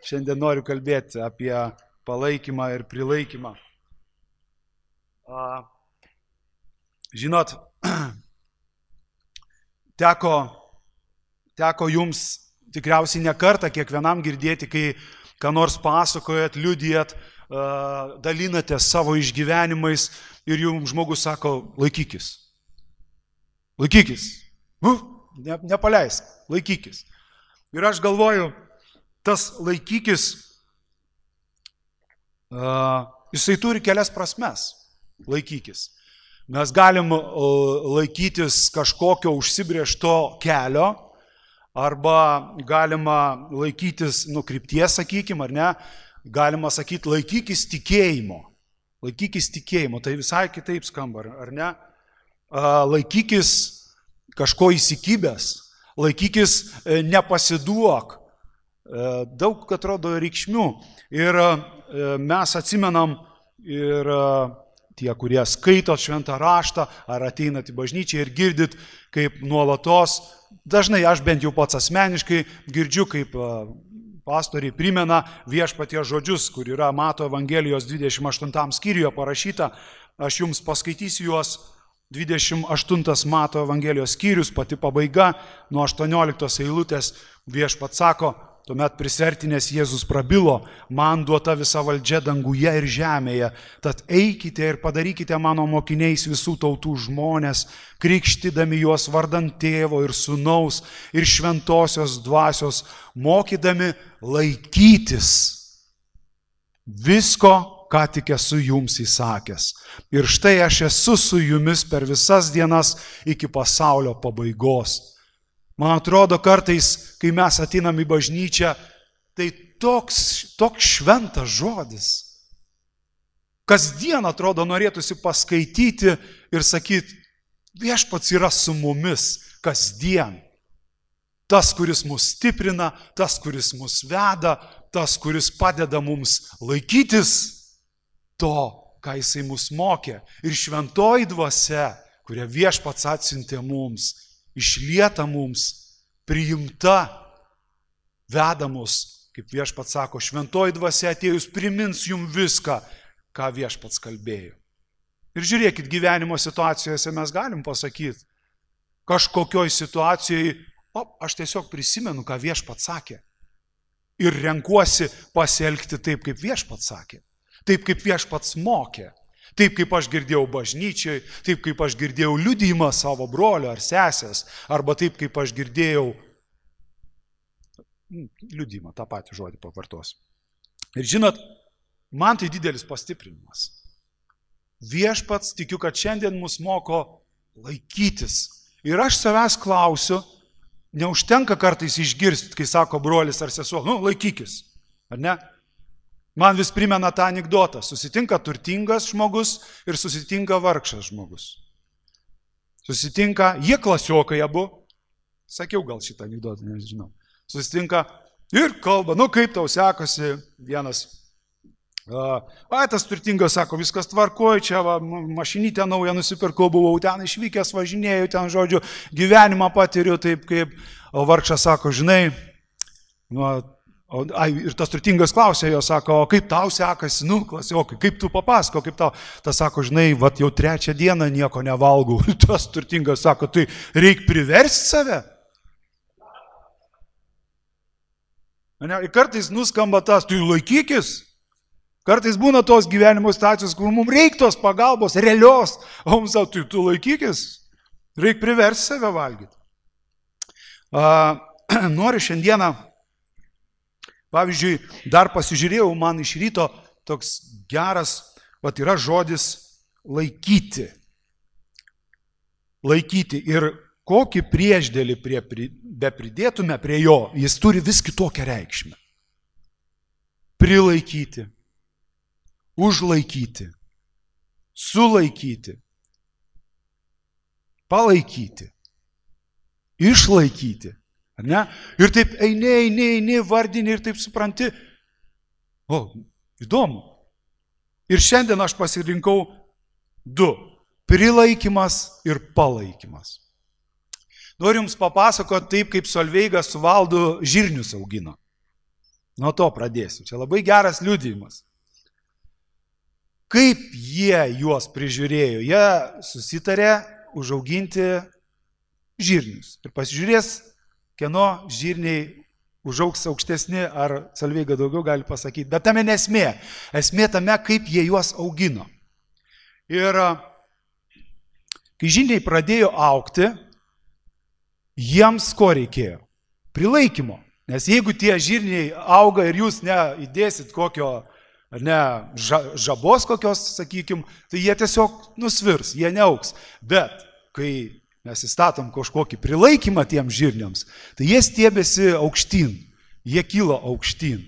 Šiandien noriu kalbėti apie palaikymą ir prilaikymą. Žinot, teko jums tikriausiai ne kartą kiekvienam girdėti, kai ką nors pasakojat, liudijat, dalinatės savo išgyvenimais ir jums žmogus sako, laikykis. Laikykis. Nepaleisk, laikykis. Ir aš galvoju, tas laikykis, jisai turi kelias prasmes. Laikykis. Mes galim laikytis kažkokio užsibrėžto kelio, arba galima laikytis krypties, sakykim, ar ne, galima sakyti laikykis tikėjimo. Laikykis tikėjimo, tai visai kitaip skamba, ar ne? Laikykis kažko įsikibęs, laikykis nepasiduok. Daug, atrodo, reikšmių. Ir mes atsimenam ir tie, kurie skaito šventą raštą, ar ateinat į bažnyčią ir girdit, kaip nuolatos, dažnai aš bent jau pats asmeniškai girdžiu, kaip pastoriai primena viešpaties žodžius, kur yra Mato Evangelijos 28 skyriuje parašyta. Aš jums paskaitysiu juos. 28 Mato Evangelijos skyrius, pati pabaiga, nuo 18 eilutės viešpats sako, tuomet prisertinės Jėzus prabilo, man duota visa valdžia danguje ir žemėje, tad eikite ir padarykite mano mokiniais visų tautų žmonės, krikštydami juos vardant Tėvo ir Sūnaus ir Šventosios Dvasios, mokydami laikytis visko, ką tik esu jums įsakęs. Ir štai aš esu su jumis per visas dienas iki pasaulio pabaigos. Man atrodo, kartais, kai mes ateinam į bažnyčią, tai toks šventas žodis. Kasdien, atrodo, norėtųsi paskaityti ir sakyti, viešpats yra su mumis kasdien. Tas, kuris mus stiprina, tas, kuris mus veda, tas, kuris padeda mums laikytis to, ką jisai mus mokė. Ir šventoji dvasia, kurią viešpats atsiuntė mums, išlieta mums, priimta, veda mus, kaip viešpats sako, šventoji dvasia atėjus primins jums viską, ką viešpats kalbėjo. Ir žiūrėkit, gyvenimo situacijose mes galim pasakyti, kažkokioj situacijai, aš tiesiog prisimenu, ką viešpats sakė. Ir renkuosi pasielgti taip, kaip viešpats sakė. Taip, kaip viešpats mokė. Taip, kaip aš girdėjau bažnyčiai, taip, kaip aš girdėjau liudijimą savo brolio ar sesės, arba taip, kaip aš girdėjau liudijimą, tą patį žodį pavartosiu. Ir žinot, man tai didelis pastiprinimas. Viešpats, tikiu, kad šiandien mus moko laikytis. Ir aš savęs klausiu, neužtenka kartais išgirsti, kai sako brolis ar sesuo, laikykis, ar ne? Man vis primena tą anekdotą. Susitinka turtingas žmogus ir susitinka vargšas žmogus. Susitinka, jie klasiokai abu. Sakiau gal šitą anekdotą, nežinau. Susitinka ir kalba, kaip tau sekasi vienas. Tas turtingas sako, viskas tvarkoj, čia mašinytę naują nusipirkau, buvau ten išvykęs, važinėjau ten, žodžiu, gyvenimą patiriu taip kaip, o vargšas sako, žinai, ir tas turtingas klausė jo, sako, o kaip tau sekasi, klasiokai, kaip tu papasako, kaip tau, tas sako, žinai, jau 3 dieną nieko nevalgau, tas turtingas sako, tai reik priversti save. Ir kartais nuskamba tas, tu laikykis, kartais būna tos gyvenimo situacijos, kur mums reikia tos pagalbos, realios, o mums sako, tu laikykis, reik priversti save valgyti. Noriu šiandieną, pavyzdžiui, dar pasižiūrėjau, man iš ryto toks geras, yra žodis laikyti. Laikyti. Ir kokį priešdėlį bepridėtume prie jo, jis turi vis kitokią reikšmę. Prilaikyti, užlaikyti, sulaikyti, palaikyti, išlaikyti. Ne? Ir taip eini, vardini ir taip supranti. Įdomu. Ir šiandien aš pasirinkau 2. Prilaikymas ir palaikymas. Noriu jums papasakoti taip, kaip Solveiga su Valdu žirnius augino. Nuo to pradėsiu. Čia labai geras liudijimas. Kaip jie juos prižiūrėjo? Jie susitarė užauginti žirnius. Ir pasižiūrės, kieno žirniai užaugs aukštesni, ar Salveiga daugiau gali pasakyti. Bet tame nesmė. Esmė tame, kaip jie juos augino. Ir kai žirniai pradėjo augti, jiems ko reikėjo? Prilaikymo. Nes jeigu tie žirniai auga ir jūs neįdėsit kokio, žabos kokios, sakykim, tai jie tiesiog nusvirs, jie neaugs. Bet kai mes įstatom kažkokį prilaikymą tiem žirniams, tai jie stiebėsi aukštyn, jie kilo aukštyn.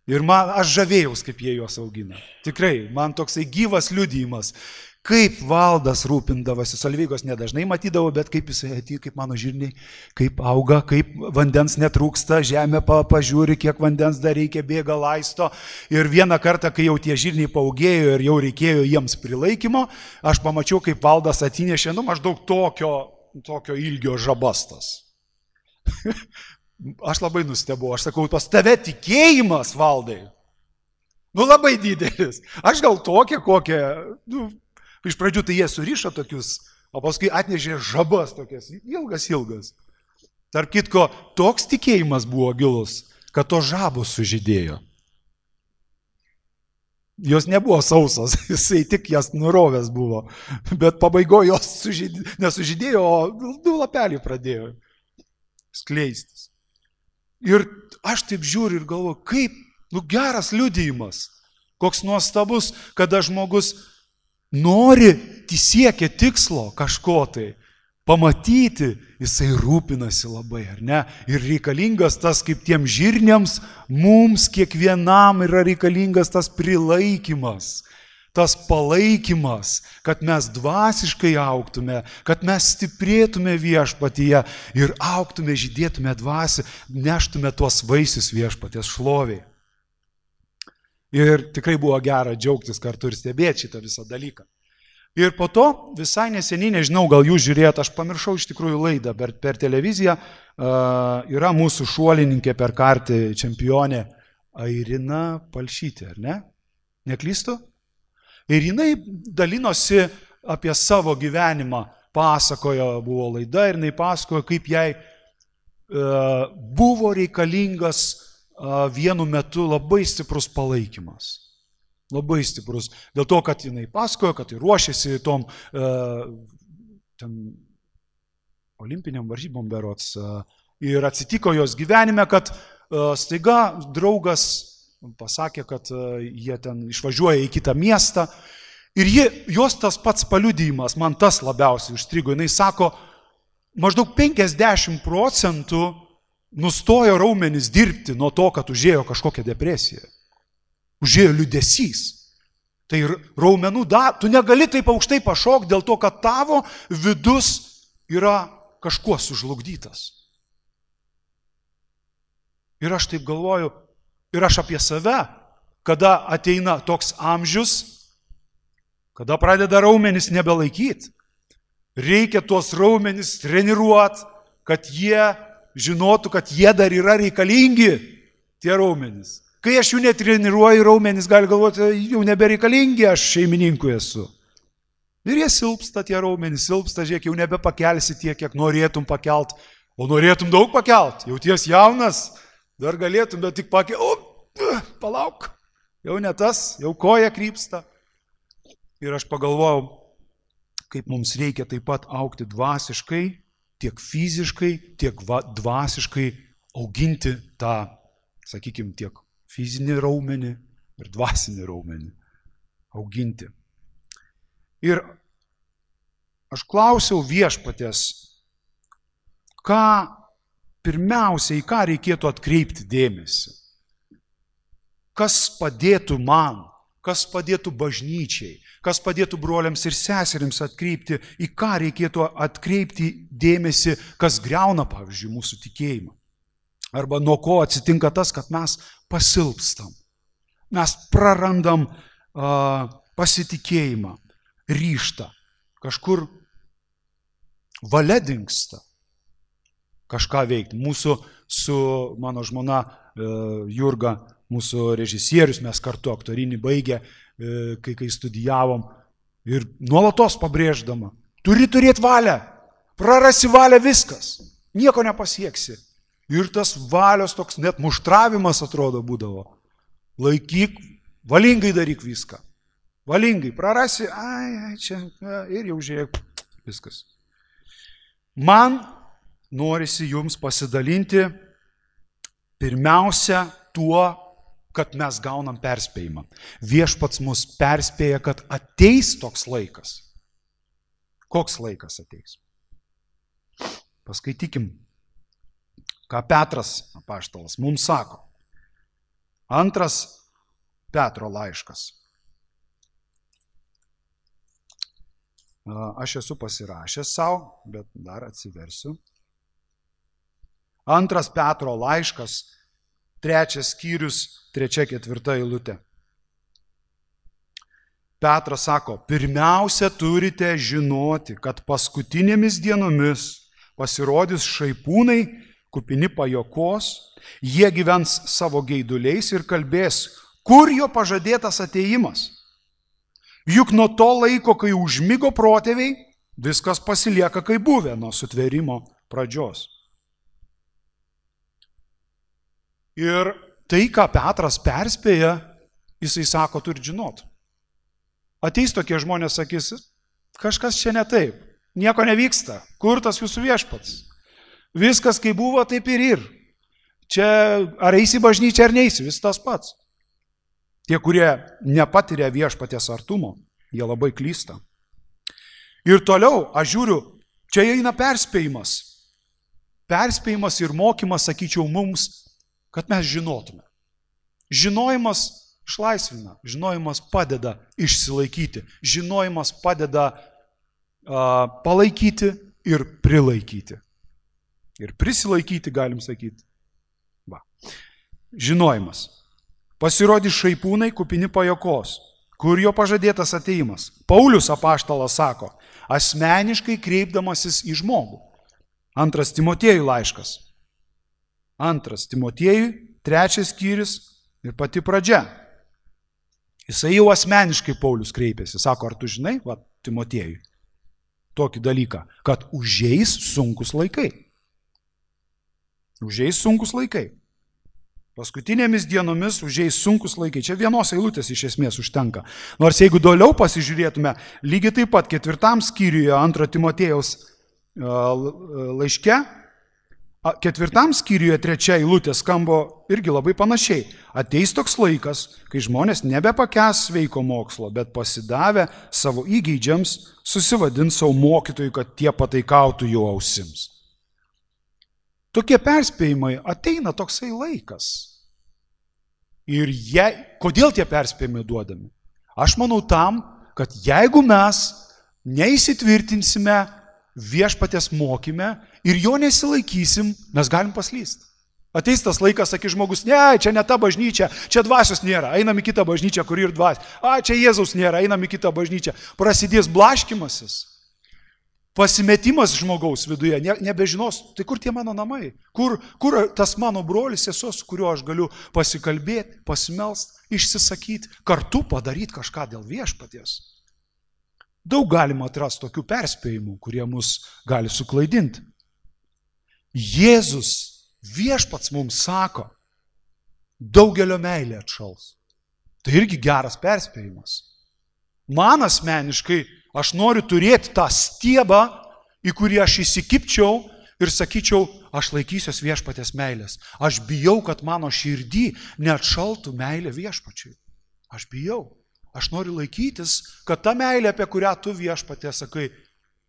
Ir aš žavėjaus, kaip jie juos augina. Tikrai, man toksai gyvas liudijimas. Kaip Valdas rūpindavosi, Salveigos nedažnai matydavo, bet kaip jisai atėjo, kaip mano žirniai, kaip auga, kaip vandens netrūksta, žemė pažiūri, kiek vandens dar reikia, bėga, laisto. Ir vieną kartą, kai jau tie žirniai paaugėjo ir jau reikėjo jiems prilaikymo, aš pamačiau, kaip Valdas atnešė, maždaug tokio ilgio žabastas. Aš labai nustebau, aš sakau, pas tave tikėjimas, Valdai. Labai didelis. Aš gal tokia kokia, iš pradžių tai jie surišo tokius, o paskui atnešė žabas tokias, ilgas. Tarp kitko, toks tikėjimas buvo gilus, kad to žabos sužydėjo. Jos nebuvo sausos, jisai tik jas nurovęs buvo, bet pabaigoje jos nesužydėjo, o 2 lapeliai pradėjo skleistis. Ir aš taip žiūriu ir galvoju, kaip, geras liudijimas, koks nuostabus, kada žmogus nori, siekia tikslo kažko tai, pamatyti, jisai rūpinasi labai, ar ne? Ir reikalingas tas, kaip tiem žirniams, mums kiekvienam yra reikalingas tas prilaikymas, tas palaikymas, kad mes dvasiškai augtume, kad mes stiprėtume viešpatyje ir augtume, žydėtume dvasią, neštume tuos vaisius viešpaties šloviai. Ir tikrai buvo gera džiaugtis kartu ir stebėti šitą visą dalyką. Ir po to visai neseniai, nežinau, gal jūs žiūrėjot, aš pamiršau iš tikrųjų laidą per televiziją, yra mūsų šuolininkė per kartį čempionė Airina Palšytė, ar ne? Neklystu? Ir jinai dalinosi apie savo gyvenimą, pasakojo, buvo laida ir jinai pasakojo, kaip jai buvo reikalingas vienu metu labai stiprus palaikymas. Labai stiprus. Dėl to, kad jinai pasakojo, kad ruošėsi tom olimpiniam varžybom berods. Ir atsitiko jos gyvenime, kad staiga draugas pasakė, kad jie ten išvažiuoja į kitą miestą. Ir jos tas pats paliudijimas, man tas labiausiai užstrigo. Jinai sako, maždaug 50% nustojo raumenis dirbti nuo to, kad užėjo kažkokią depresiją. Užėjo liūdesys. Tai raumenų tu negali taip aukštai pašokti dėl to, kad tavo vidus yra kažkuo sužlugdytas. Ir aš taip galvoju, ir aš apie save, kada ateina toks amžius, kada pradeda raumenis nebelaikyti, reikia tuos raumenis treniruoti, kad jie žinotų, kad jie dar yra reikalingi, tie raumenis. Kai aš jų netreniruoju, raumenis gali galvoti, jau nebereikalingi, aš šeimininkui esu. Ir jie silpsta, tie raumenis silpsta, žiūrėk, jau nebepakelsi tiek, kiek norėtum pakelt, o norėtum daug pakelt, jau ties jaunas, dar galėtum, bet tik palauk, jau ne tas, jau koja krypsta. Ir aš pagalvojau, kaip mums reikia taip pat augti dvasiškai, tiek fiziškai, tiek dvasiškai auginti tą, sakykime, tiek fizinį raumenį ir dvasinį raumenį auginti. Ir aš klausiau viešpaties, pirmiausia, į ką reikėtų atkreipti dėmesį. Kas padėtų man, kas padėtų bažnyčiai, kas padėtų broliams ir seserims atkreipti, į ką reikėtų atkreipti dėmesį, kas griauna, pavyzdžiui, mūsų tikėjimą. Arba nuo ko atsitinka tas, kad mes pasilpstam. Mes prarandam pasitikėjimą, ryžtą. Kažkur valia dingsta kažką veikti. Mūsų su mano žmona Jurga mūsų režisierius, mes kartu aktorinį baigę, kai studijavom. Ir nuolatos pabrėždama, turi turėti valią, prarasi valią viskas, nieko nepasieksi. Ir tas valios toks net muštravimas atrodo būdavo. Laikyk, valingai daryk viską. Valingai, prarasi, čia, ir jau žiūrėk, viskas. Man norisi jums pasidalinti pirmiausia tuo, kad mes gaunam perspėjimą. Viešpats mus perspėja, kad ateis toks laikas. Koks laikas ateis? Paskaitykim, ką Petras apaštalas mums sako. 2 Petro laiškas. Aš esu pasirašęs savo, bet dar atsiversiu. 2 Petro laiškas, 3 skyrius, 3-4 eilutė. Petras sako, pirmiausia turite žinoti, kad paskutinėmis dienomis pasirodys šaipūnai, kupini pajokos, jie gyvens savo geiduliais ir kalbės, kur jo pažadėtas atėjimas. Juk nuo to laiko, kai užmigo protėviai, viskas pasilieka kaip buvę nuo sutvėrimo pradžios. Ir tai, ką Petras perspėja, jisai sako, turi žinot. Ateis tokie žmonės, sakys, kažkas čia ne taip, nieko nevyksta, kur tas jūsų viešpats? Viskas kaip buvo, taip ir. Čia ar eisi bažnyčią ar neisi, vis tas pats. Tie, kurie nepatiria viešpaties artumo, jie labai klysta. Ir toliau, aš žiūriu, čia eina perspėjimas. Perspėjimas ir mokymas, sakyčiau, mums, kad mes žinotume. Žinojimas išlaisvina, žinojimas padeda išsilaikyti, žinojimas padeda palaikyti ir prilaikyti. Ir prisilaikyti, galim sakyti. Va. Žinojimas. Pasirodys šaipūnai kupini pajokos, kur jo pažadėtas atėjimas. Paulius apaštalas sako, asmeniškai kreipdamasis į žmogų. 2 Timotiejų laiškas. 2 Timotiejų, 3 skyrius ir pati pradžia. Jisai jau asmeniškai Paulius kreipėsi. Sako, ar tu žinai, va, Timotiejui, tokį dalyką, kad užeis sunkus laikai. Užeis sunkus laikai. Paskutinėmis dienomis užeis sunkus laikai. Čia vienos eilutės iš esmės užtenka. Nors jeigu toliau pasižiūrėtume, lygiai taip pat 4 skyriuje 2 Timotiejaus laiške, 4 skyriuje 3 eilutė skamba irgi labai panašiai. Ateis toks laikas, kai žmonės nebepakęs sveiko mokslo, bet pasidavę savo įgeidžiams susivadins savo mokytojui, kad tie pataikautų jų ausims. Tokie perspėjimai ateina toksai laikas. Ir kodėl tie perspėjimai duodami? Aš manau tam, kad jeigu mes neįsitvirtinsime viešpaties mokyme ir jo nesilaikysim, mes galim paslysti. Ateis tas laikas, sakys žmogus, ne, čia ne ta bažnyčia, čia dvasios nėra, einam į kitą bažnyčią, kur ir dvasios. Čia Jėzaus nėra, einam į kitą bažnyčią. Prasidės blaškymasis. Pasimetimas žmogaus viduje, nebežinos, tai kur tie mano namai, kur tas mano brolis, sesuo, su kuriuo aš galiu pasikalbėti, pasimelst, išsisakyti, kartu padaryti kažką dėl viešpaties. Daug galima atrasti tokių perspėjimų, kurie mus gali suklaidinti. Jėzus, viešpats mums sako, daugelio meilė atšals. Tai irgi geras perspėjimas. Man asmeniškai, aš noriu turėti tą stiebą, į kurį aš įsikipčiau ir sakyčiau, aš laikysiuos viešpaties meilės. Aš bijau, kad mano širdį neatšaltų meilė viešpačiui. Aš bijau. Aš noriu laikytis, kad ta meilė, apie kurią tu viešpatė sakai,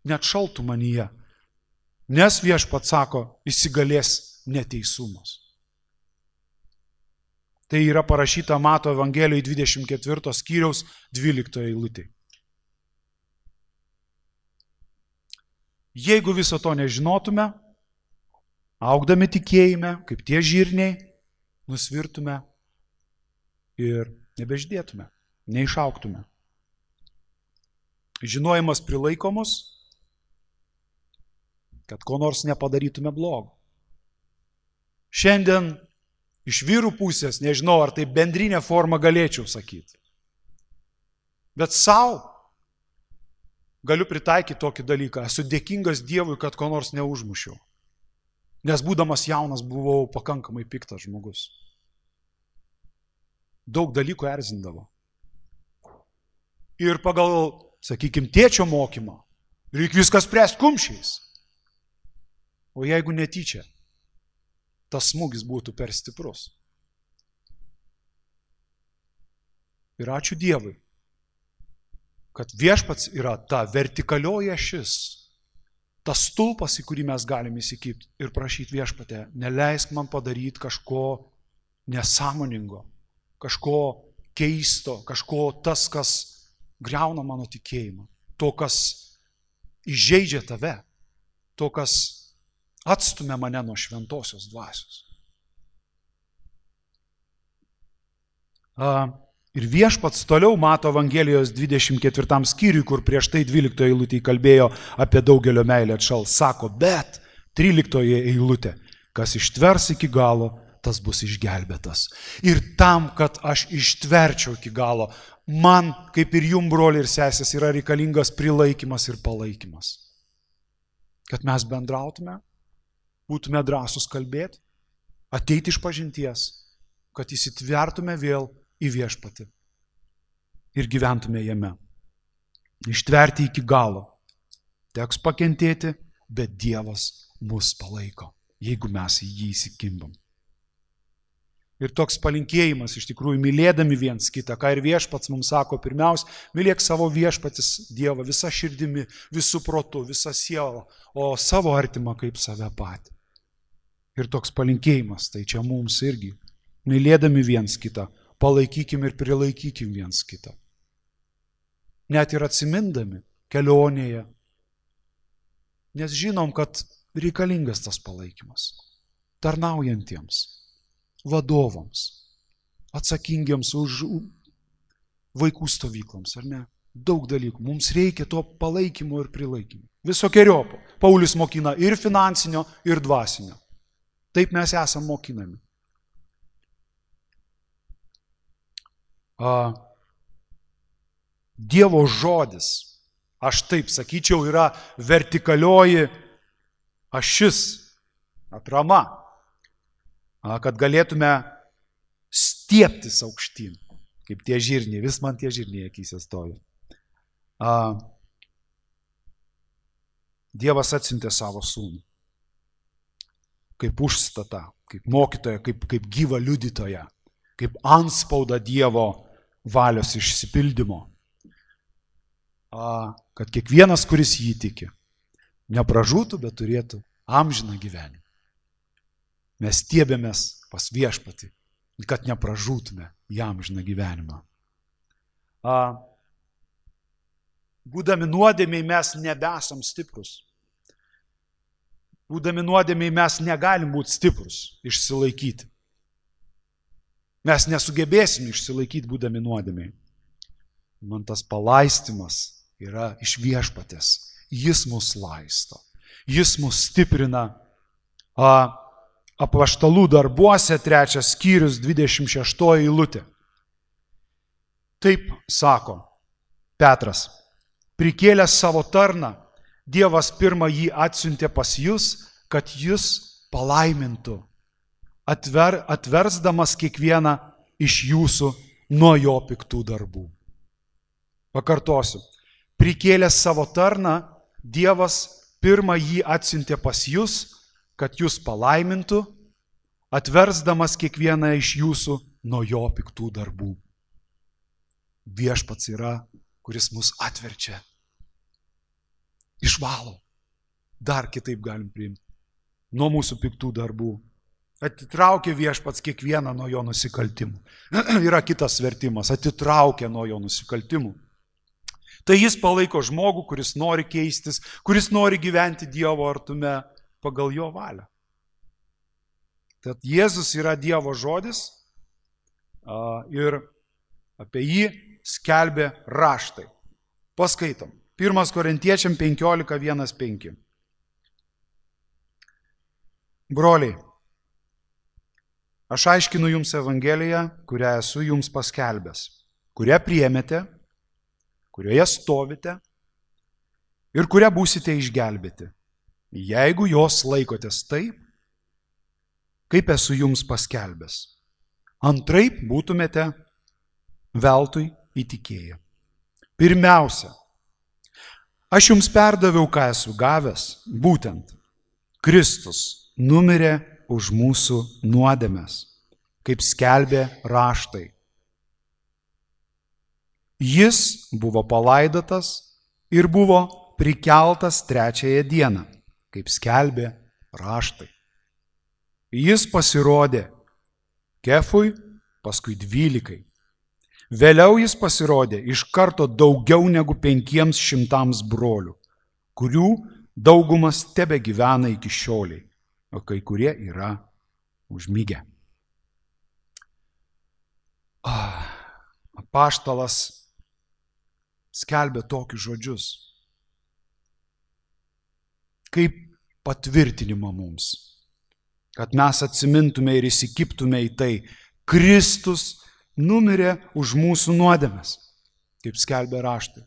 neatšaltų manyje. Nes viešpats sako, įsigalės neteisumas. Tai yra parašyta Mato Evangelijoje 24 skyriaus 12 eilutė. Jeigu viso to nežinotume, augdami tikėjime, kaip tie žirniai, nusvirtume ir nebeždėtume, neišauktume. Žinojimas prilaikomus, kad ko nors nepadarytume blogo. Šiandien Iš vyrų pusės, nežinau, ar tai bendrinė forma galėčiau sakyti. Bet savo galiu pritaikyti tokį dalyką. Esu dėkingas Dievui, kad ko nors neužmušiau. Nes būdamas jaunas buvau pakankamai piktas žmogus. Daug dalykų erzindavo. Ir pagal, sakykime, tėčio mokymą, reikia viskas spręsti kumščiais. O jeigu netyčia, tas smūgis būtų per stiprus. Ir ačiū Dievui, kad viešpats yra ta vertikalioji ašis, tas stulpas, į kurį mes galime įsikibti ir prašyti viešpatę, neleisk man padaryti kažko nesąmoningo, kažko keisto, kažko tas, kas griauna mano tikėjimą, to, kas įžeidžia tave, to, kas atstumia mane nuo šventosios dvasios. Ir viešpats toliau Mato Evangelijos 24 skyriui, kur prieš tai 12 eilutėje kalbėjo apie daugelio meilę atšals, sako, bet 13 eilutė, kas ištvers iki galo, tas bus išgelbėtas. Ir tam, kad aš ištverčiau iki galo, man, kaip ir jum, broliai ir sesės, yra reikalingas prilaikymas ir palaikymas. Kad mes bendrautume, būtume drąsūs kalbėti, ateiti iš pažinties, kad įsitvertume vėl į viešpatį ir gyventume jame. Ištverti iki galo. Teks pakentėti, bet Dievas mus palaiko, jeigu mes į jį įsikimbam. Ir toks palinkėjimas, iš tikrųjų, mylėdami viens kitą, ką ir viešpats mums sako, pirmiausia, mylėk savo viešpatis Dievą visą širdimi, visų protu, visą sielą, o savo artimą kaip save patį. Ir toks palinkėjimas, tai čia mums irgi, mylėdami viens kitą, palaikykim ir prilaikykim viens kitą. Net ir atsimindami kelionėje, nes žinom, kad reikalingas tas palaikymas, tarnaujantiems, vadovams, atsakingiams už vaikų stovykloms, ar ne? Daug dalykų. Mums reikia to palaikymo ir prilaikymo. Visokiojopo. Paulius mokina ir finansinio, ir dvasinio. Taip mes esam mokinami. Dievo žodis, aš taip sakyčiau, yra vertikalioji ašis, atrama, kad galėtume stieptis aukštyn, kaip tie žirniai, vis man tie žirniai akyse stovi. Dievas atsiuntė savo sūnų, kaip užstatą, kaip mokytoją, kaip gyvą liudytoją, kaip antspaudą Dievo valios išsipildymo, kad kiekvienas, kuris jį tiki, nepražūtų, bet turėtų amžiną gyvenimą. Mes stiebėmės pas viešpatį, kad nepražūtume į amžiną gyvenimą. Būdami nuodėmiai mes nebesam stiprus. Būdami nuodėmiai mes negalim būti stiprus, išsilaikyti. Mes nesugebėsim išsilaikyti būdami nuodėmiai. Man tas palaistymas yra iš viešpatės. Jis mus laisto. Jis mus stiprina. Apaštalų darbuose 3 skyrius 26 eilutė. Taip sako Petras, prikėlęs savo tarną, Dievas pirmą jį atsiuntė pas jūs, kad jus palaimintų, atversdamas kiekvieną iš jūsų nuo jo piktų darbų. Pakartosiu, prikėlęs savo tarną, Dievas pirmą jį atsiuntė pas jūs, kad jūs palaimintų, atversdamas kiekvieną iš jūsų nuo jo piktų darbų. Viešpats yra, kuris mus atverčia, išvalo. Dar kitaip galim priimti. Nuo mūsų piktų darbų. Atitraukia viešpats kiekvieną nuo jo nusikaltimų. Yra kitas vertimas, atitraukia nuo jo nusikaltimų. Tai jis palaiko žmogų, kuris nori keistis, kuris nori gyventi Dievo artume pagal jo valią. Tad Jėzus yra Dievo žodis ir apie jį skelbė raštai. Paskaitom. 1 Korintiečiam 15:1-5. Broliai, Aš aiškinu jums Evangeliją, kurią esu jums paskelbęs, kurią priėmėte, kurioje stovite ir kurią būsite išgelbėti, jeigu jos laikotės taip, kaip esu jums paskelbęs. Antraip būtumėte veltui įtikėję. Pirmiausia, aš jums perdaviau, ką esu gavęs, būtent Kristus numirė už mūsų nuodėmes, kaip skelbė raštai. Jis buvo palaidotas ir buvo prikeltas 3 dieną, kaip skelbė raštai. Jis pasirodė Kefui, paskui 12. Vėliau jis pasirodė iš karto daugiau negu 500 brolių, kurių daugumas tebegyvena iki šioliai, o kai kurie yra užmigę. Apaštalas skelbė tokius žodžius, kaip patvirtinimą mums, kad mes atsimintume ir įsikiptume į tai, Kristus numirė už mūsų nuodėmes, kaip skelbė raštai.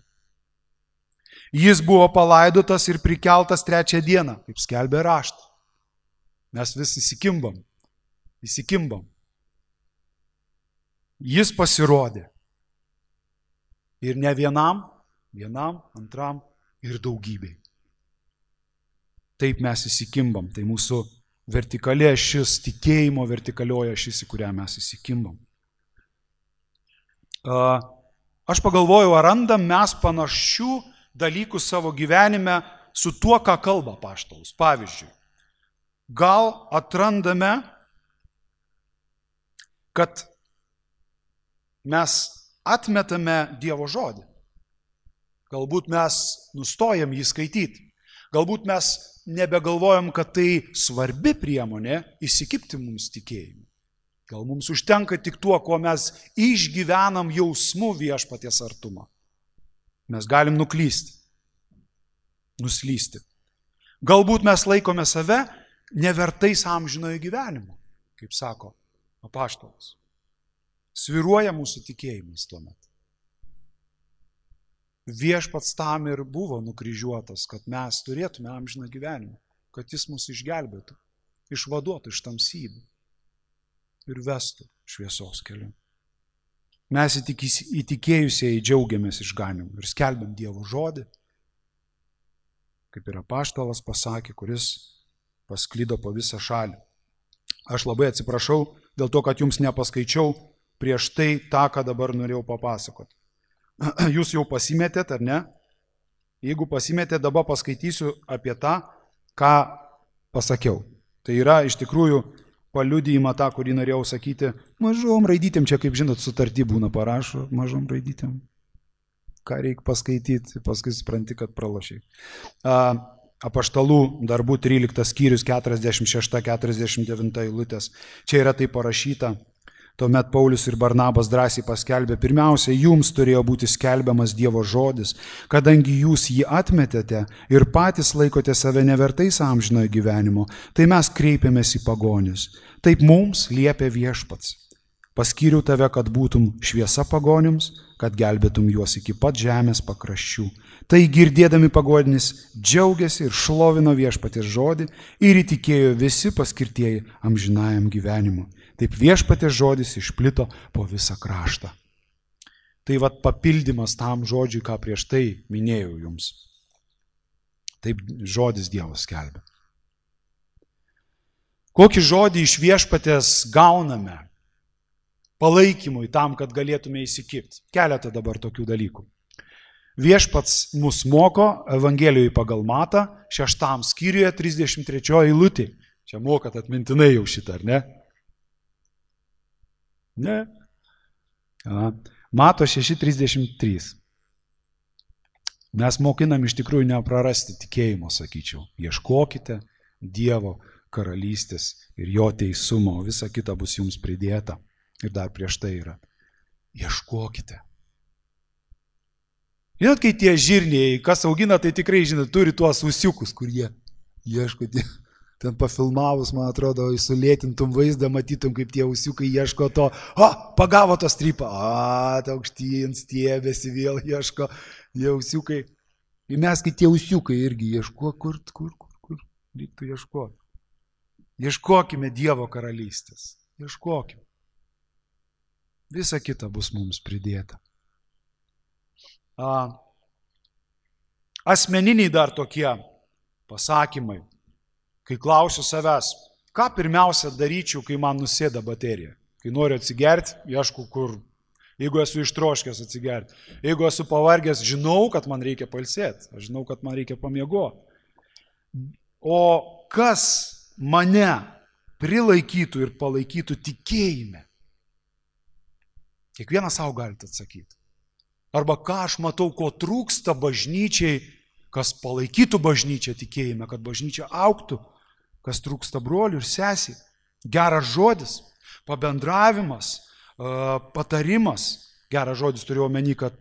Jis buvo palaidotas ir prikeltas 3 dieną, kaip skelbė raštai. Mes vis įsikimbam. Jis pasirodė. Ir ne vienam, antram ir daugybei. Taip mes įsikimbam. Tai mūsų vertikalė ašis, tikėjimo vertikalioje ašis, į kurią mes įsikimbam. Aš pagalvojau, ar randam mes panašių dalykų savo gyvenime su tuo, ką kalba apaštalus. Pavyzdžiui, gal atrandame, kad mes atmetame Dievo žodį. Galbūt mes nustojam jį skaityti. Galbūt mes nebegalvojam, kad tai svarbi priemonė įsikibti mums tikėjimui. Gal mums užtenka tik tuo, ko mes išgyvenam jausmu viešpaties artumą. Mes galim nuslysti. Galbūt mes laikome save nevertais amžinojo gyvenimo, kaip sako apaštalas. Svyruoja mūsų tikėjimas tuomet. Viešpats tam ir buvo nukryžiuotas, kad mes turėtume amžiną gyvenimą, kad jis mus išgelbėtų, išvaduotų iš tamsybių ir vestų šviesos keliu. Mes įtikėjusieji džiaugiamės išganymu ir skelbiam Dievo žodį, kaip ir apaštalas pasakė, kuris pasklido po visą šalį. Aš labai atsiprašau dėl to, kad jums nepaskaičiau prieš tai tą, ką dabar norėjau papasakoti. Jūs jau pasimetėt, ar ne? Jeigu pasimetėt, dabar paskaitysiu apie tą, ką pasakiau. Tai yra iš tikrųjų paliudijimą tą, kurį norėjau sakyti, mažom raidytėm, čia kaip žinot, sutartį būna parašo, mažom raidytėm. Ką reikia paskaityti, paskui supranti, kad pralošiai. Apaštalų darbų 13 skyrius 46-49 eilutės. Čia yra tai parašyta. Tuomet Paulius ir Barnabas drąsiai paskelbė, pirmiausia, jums turėjo būti skelbiamas Dievo žodis, kadangi jūs jį atmetėte ir patys laikote save nevertais amžinojo gyvenimo, tai mes kreipėmės į pagonis. Taip mums liepė viešpats. Paskyriau tave, kad būtum šviesa pagonims, kad gelbėtum juos iki pat žemės pakraščių. Tai girdėdami pagonis džiaugiasi ir šlovino viešpaties žodį ir įtikėjo visi paskirtieji amžinajam gyvenimu. Taip viešpaties žodis išplito po visą kraštą. Tai vat papildymas tam žodžiui, ką prieš tai minėjau jums. Taip žodis Dievas skelbia. Kokį žodį iš viešpaties gauname palaikymui tam, kad galėtume įsikibti? Keletą dabar tokių dalykų. Viešpats mus moko Evangelijoje pagal Matą, 6 skyriuje 33 eilutė. Čia mokat atmintinai jau šitą, ar ne? Ne. Mato 6.33. Mes mokinam iš tikrųjų neprarasti tikėjimo, sakyčiau. Ieškokite Dievo karalystės ir jo teisumo, visa kita bus jums pridėta. Ir dar prieš tai yra. Ieškokite. Žinot, kai tie žirniai, kas augina, tai tikrai, žinot, turi tuos ūsiukus, kur jie ieško. ten pafilmavus, man atrodo, sulėtintum vaizdą, matytum, kaip tie ausiukai ieško to, pagavo to strypą, ta aukštyn stiebėsi, vėl ieško, tie ausiukai. Ir mes, kai tie ausiukai irgi ieško, kur reiktų ieškoti. Ieškokime Dievo karalystės, ieškokime. Visa kita bus mums pridėta. Asmeniniai dar tokie pasakymai, kai klausiu savęs, ką pirmiausia daryčiau, kai man nusėda baterija. Kai noriu atsigerti, ieškau kur. Jeigu esu ištroškęs atsigerti. Jeigu esu pavargęs, žinau, kad man reikia pailsėti. Aš žinau, kad man reikia pamiegoti. O kas mane prilaikytų ir palaikytų tikėjime? Kiekvienas savo galite atsakyti. Arba ką aš matau, ko trūksta bažnyčiai, kas palaikytų bažnyčią tikėjime, kad bažnyčia augtų, kas trūksta brolių ir sesiai. Geras žodis, pabendravimas, patarimas. Geras žodis turiu omeny, kad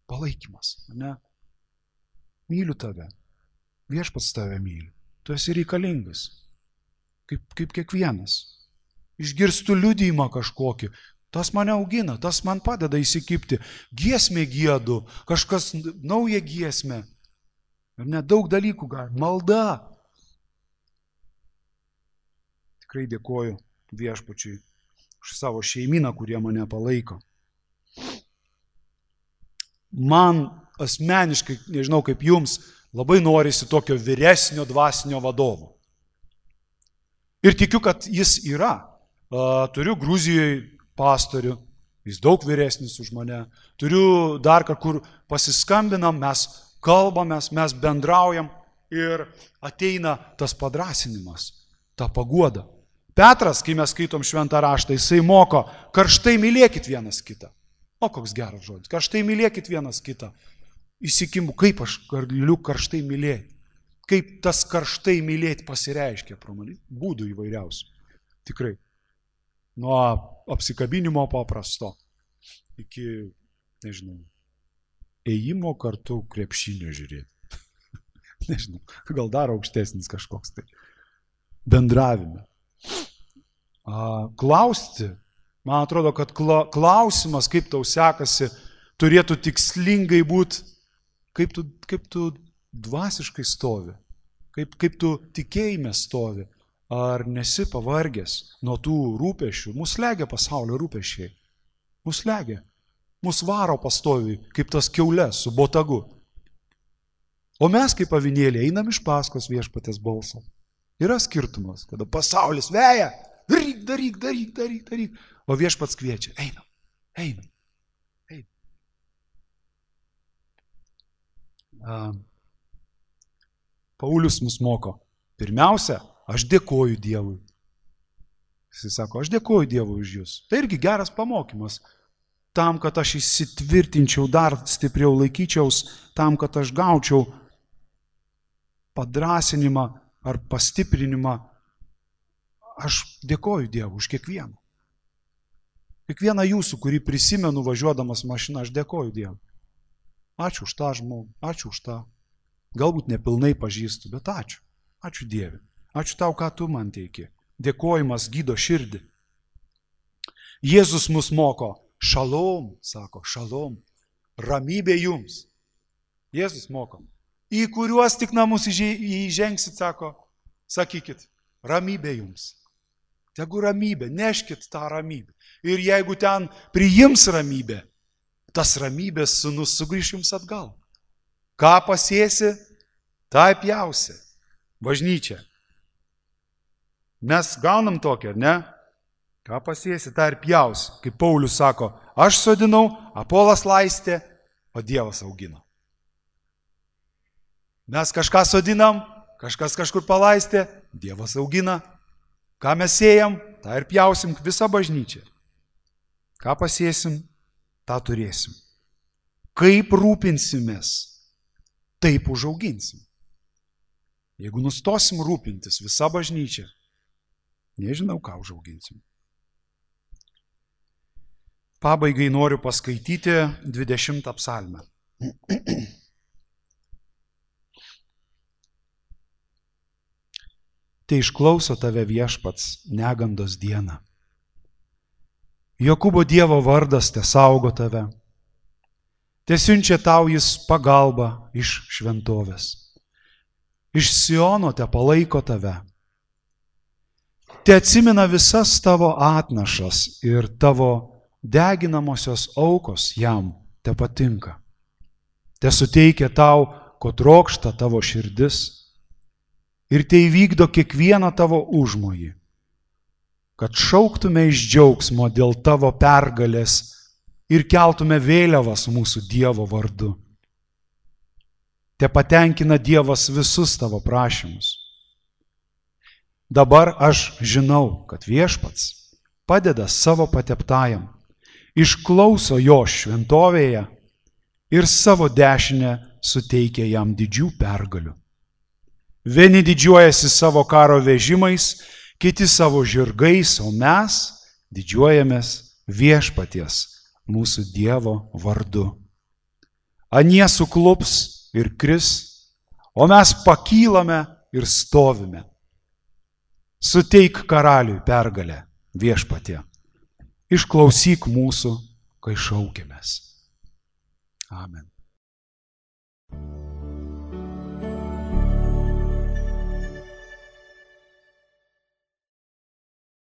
palaikymas. Ne? Myliu tave. Viešpats tave myli. Tu esi reikalingas. Kaip kiekvienas. Išgirstu liudijimą kažkokį. Tas mane augina, tas man padeda įsikibti. Giesmė giedu, kažkas nauja giesmė. Ir nedaug dalykų gali. Malda. Tikrai dėkoju Viešpačiui už savo šeimyną, kurie mane palaiko. Man asmeniškai, nežinau kaip jums, labai norisi tokio vyresnio dvasinio vadovo. Ir tikiu, kad jis yra. Turiu Gruzijoje pastorių, jis daug vyresnis už mane. Turiu dar kur pasiskambinam, mes kalbamės, mes bendraujam ir ateina tas padrąsinimas, ta paguoda. Petras, kai mes skaitom šventą raštą, jisai moko, karštai mylėkit vienas kitą. O koks geras žodis, karštai mylėkit vienas kitą. Įsikimu, kaip aš galiu karštai mylėti. Kaip tas karštai mylėti pasireiškia, būdų įvairiausių. Tikrai. Nuo apsikabinimo paprasto iki, nežinau, ėjimo kartu krepšinio žiūrėti. Nežinau, gal dar aukštesnis kažkoks tai. Bendravime. Klausti, man atrodo, kad klausimas, kaip tau sekasi, turėtų tikslingai būti, kaip tu dvasiškai stovi, kaip tu tikėjime stovi. Ar nesi pavargęs nuo tų rūpešių? Mus slegia pasaulio rūpešiai. Mus slegia. Mus varo pastoviai, kaip tas kiaulės su botagu. O mes kaip avinėliai einam iš paskos Viešpaties balso. Yra skirtumas, kada pasaulis veja. Daryk. O Viešpats kviečia. Einam. Paulius mus moko. Pirmiausia, aš dėkoju Dievui. Jis sako, aš dėkoju Dievui už jūs. Tai irgi geras pamokymas. Tam, kad aš įsitvirtinčiau, dar stipriau laikyčiaus, tam, kad aš gaučiau padrąsinimą ar pastiprinimą, aš dėkoju Dievui už kiekvieną. Kiekvieną jūsų, kurį prisimenu važiuodamas mašiną, aš dėkoju Dievui. Ačiū už tą žmogų, ačiū už tą. Galbūt nepilnai pažįstu, bet ačiū. Ačiū Dievui. Ačiū tau, ką tu man teiki. Dėkojimas gydo širdį. Jėzus mus moko. Šalom, sako, šalom. Ramybė jums. Jėzus moko. Į kuriuos tik namus įžengsit, sako, sakykit, ramybė jums. Tegu ramybė, neškit tą ramybę. Ir jeigu ten priims ramybę, tas ramybės sūnus sugrįš jums atgal. Ką pasėsi, tą pjausi. Bažnyčia. Mes gaunam tokią, ar ne? Ką pasėsi, tą ir pjausi. Kaip Paulius sako, aš sodinau, Apolas laistė, o Dievas augino. Mes kažką sodinam, kažkas kažkur palaistė, Dievas augina. Ką mes sėjam, tą ir pjausim visą bažnyčią. Ką pasėsim, tą turėsim. Kaip rūpinsimės, taip užauginsim. Jeigu nustosim rūpintis visą bažnyčią, nežinau, ką užauginsim. Pabaigai noriu paskaityti 20 psalmę. Te išklauso tave Viešpats negandos dieną. Jokūbo Dievo vardas te saugo tave. Te siunčia tau jis pagalbą iš šventovės. Iš Siono te palaiko tave. Te atsimena visas tavo atnašas ir tavo deginamosios aukos jam te patinka. Te suteikia tau, ko trokšta tavo širdis ir te įvykdo kiekvieną tavo užmojį, kad šauktume iš džiaugsmo dėl tavo pergalės ir keltume vėliavas mūsų Dievo vardu. Te patenkina Dievas visus tavo prašymus. Dabar aš žinau, kad Viešpats padeda savo pateptajam, išklauso jo šventovėje ir savo dešinę suteikia jam didžių pergalių. Vieni didžiuojasi savo karo vežimais, kiti savo žirgais, o mes didžiuojamės Viešpaties, mūsų Dievo vardu. Anie suklups ir kris, o mes pakylame ir stovime. Suteik karaliui pergalę, Viešpatie. Išklausyk mūsų, kai šaukėmės. Amen.